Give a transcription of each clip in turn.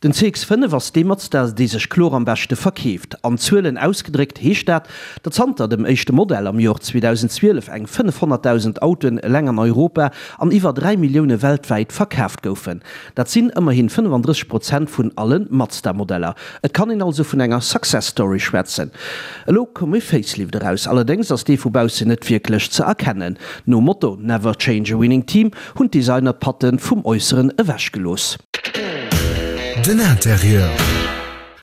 Den CX-5 ass dee Mazda, dee sech kloer am beschte verkeeft. An Zuelen ausgedréckt heescht dat, datt zanter dem éischte Modell am Jor 2012 eng 500.000 Autoen eleng an Europa an iwwer 3 Millioune weltwäit verkaaft goufen. Dat sinn ëmmerhin 35 Prozent vun alle Mazda-Modeller. Et kann een also vun enger Success Story schwätzen. Elo koum e Facelift eraus, allerdéngs ass dee vu baussen net wierklech ze erkennen. Nom Motto Never change a winning team hunn d'Designer d'Patte vum Äusseren ewechgelooss. Den Interieur.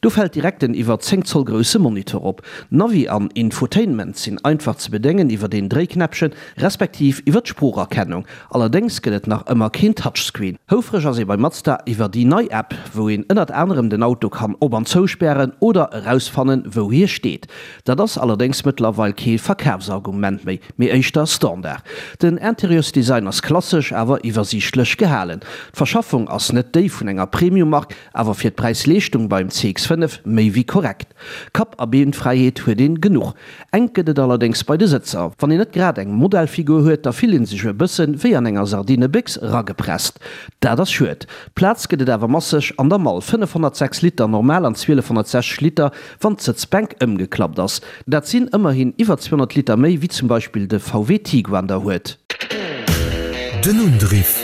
Do fält direkt den iwwer 10 Zoll grousse Monitor op. Navi an Infotainment sinn einfach ze bedéngen iwwert een Dréiknäppchen, respektiv iwwer d'Sproocherkennung. Allerdéngs gëtt et nach ëmmer keen Touchscreen. Houfreg ass ee bei Mazda iwwer déi nei App, wou een ënnert anerem den Auto kann op an zouspären oder erausfannen, wou hie steet. Dat ass allerdéngs mëttlerweil kee Verkafsargument méi, mee éischter Standard. Den Interieursdesign ass klassesch, awer iwwersiichtlech gehalen. D'Verschaffung ass net déi vun enger Premium-Mark, awer fir d'Präis-Leeschtung beim CX-5 méi wéi korrekt. Kapp a Beenfräiheet huet een genuch. Enk gëtt et allerdéngs bei de Sëtzer. Wann een net grad eng Modellfigur huet, da fillt een sech e bëssen wéi an enger Sardinebéchs ragepresst. Dat ass schued. Plaz gëtt et awer masseg an der Mall, 506 Liter normal an 1260 Liter wann d'Sëtzbänk ëmgeklappt ass. Dat sinn ëmmerhin iwwer 200 Liter méi wéi zum Beispill de VW Tiguan der huet. Den Undriff.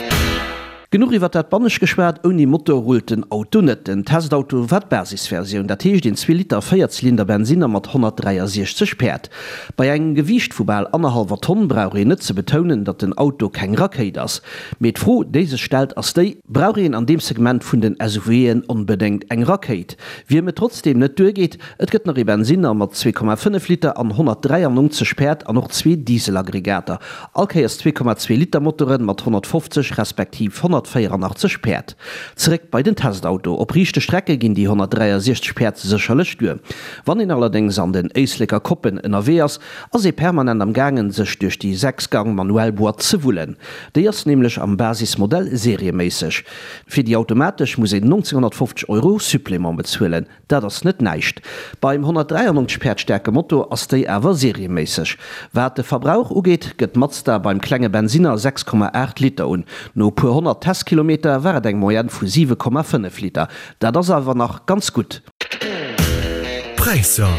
Genuch iwwer dat Bannescht geschwat, ouni Motor rullt den Auto net. Den Testauto war d'Basisversioun, dat heescht een Zweeliter Véierzylinder Bensinner mat 163 Päerd. Bei engem Gewiicht vu bal annerhallwer Tonn brauch een net ze betounen, datt den Auto keng Rakéit ass. Mee d'Fro déi sech stellt ass déi, Brauch een an deem Segment vun den SUVen onbedéngt eng Rakéit? Wiem et trotzdeem net duergeet, et gëtt nach ee Bensinner mat 2,5 Liter an 193 Päerd an och zwee Dieselaggregater, all Kéiers 2,2 Liter Motoren mat 150 respektiv 184 Päerd. Zeréck bei den Testauto, Op riichte Strecke ginn déi 163 Päerd sécherlech duer. Wann een allerdéngs an den Éisleker Koppen ënnerwee ass, ass ee permanent am gaangen sech duerch déi 6 Gang manuell Boîte ze wullen. Déi ass nämlech am Basismodell serieméisseg. Fir déi automatesch muss een 1950 Euro Supplément bezuelen, dat ass net näischt. Beim 193 Päerd staarke Motor ass déi awer serieméisseg. Wat de Verbrauch ugeet, gëtt Mazda beim klenge Bensinner 6,8 Liter un. No e puer 100 Testkilometer war et eng Moyenne vu 7,5 Liter. Dat ass awer nach ganz gutt. Präisser.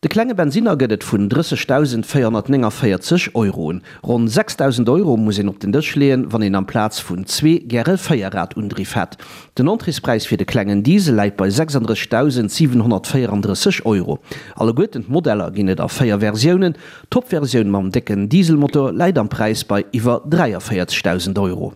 De klenge Bensinner gëtt et vun 30.449 Euro un. Ronn 6.000 Euro muss een op den Dësch leeën, wann een amplaz vun zwee gäre Véierrad-Undriff hätt. Den Entréespräis fir de klengen Diesel läit bei 36.734 Euro. Alleguerten d'Modeller ginn et a 4 Versiounen. D'Top-Versioun mam décken Dieselmotor läit am Präis bei iwwer 43.000 Euro.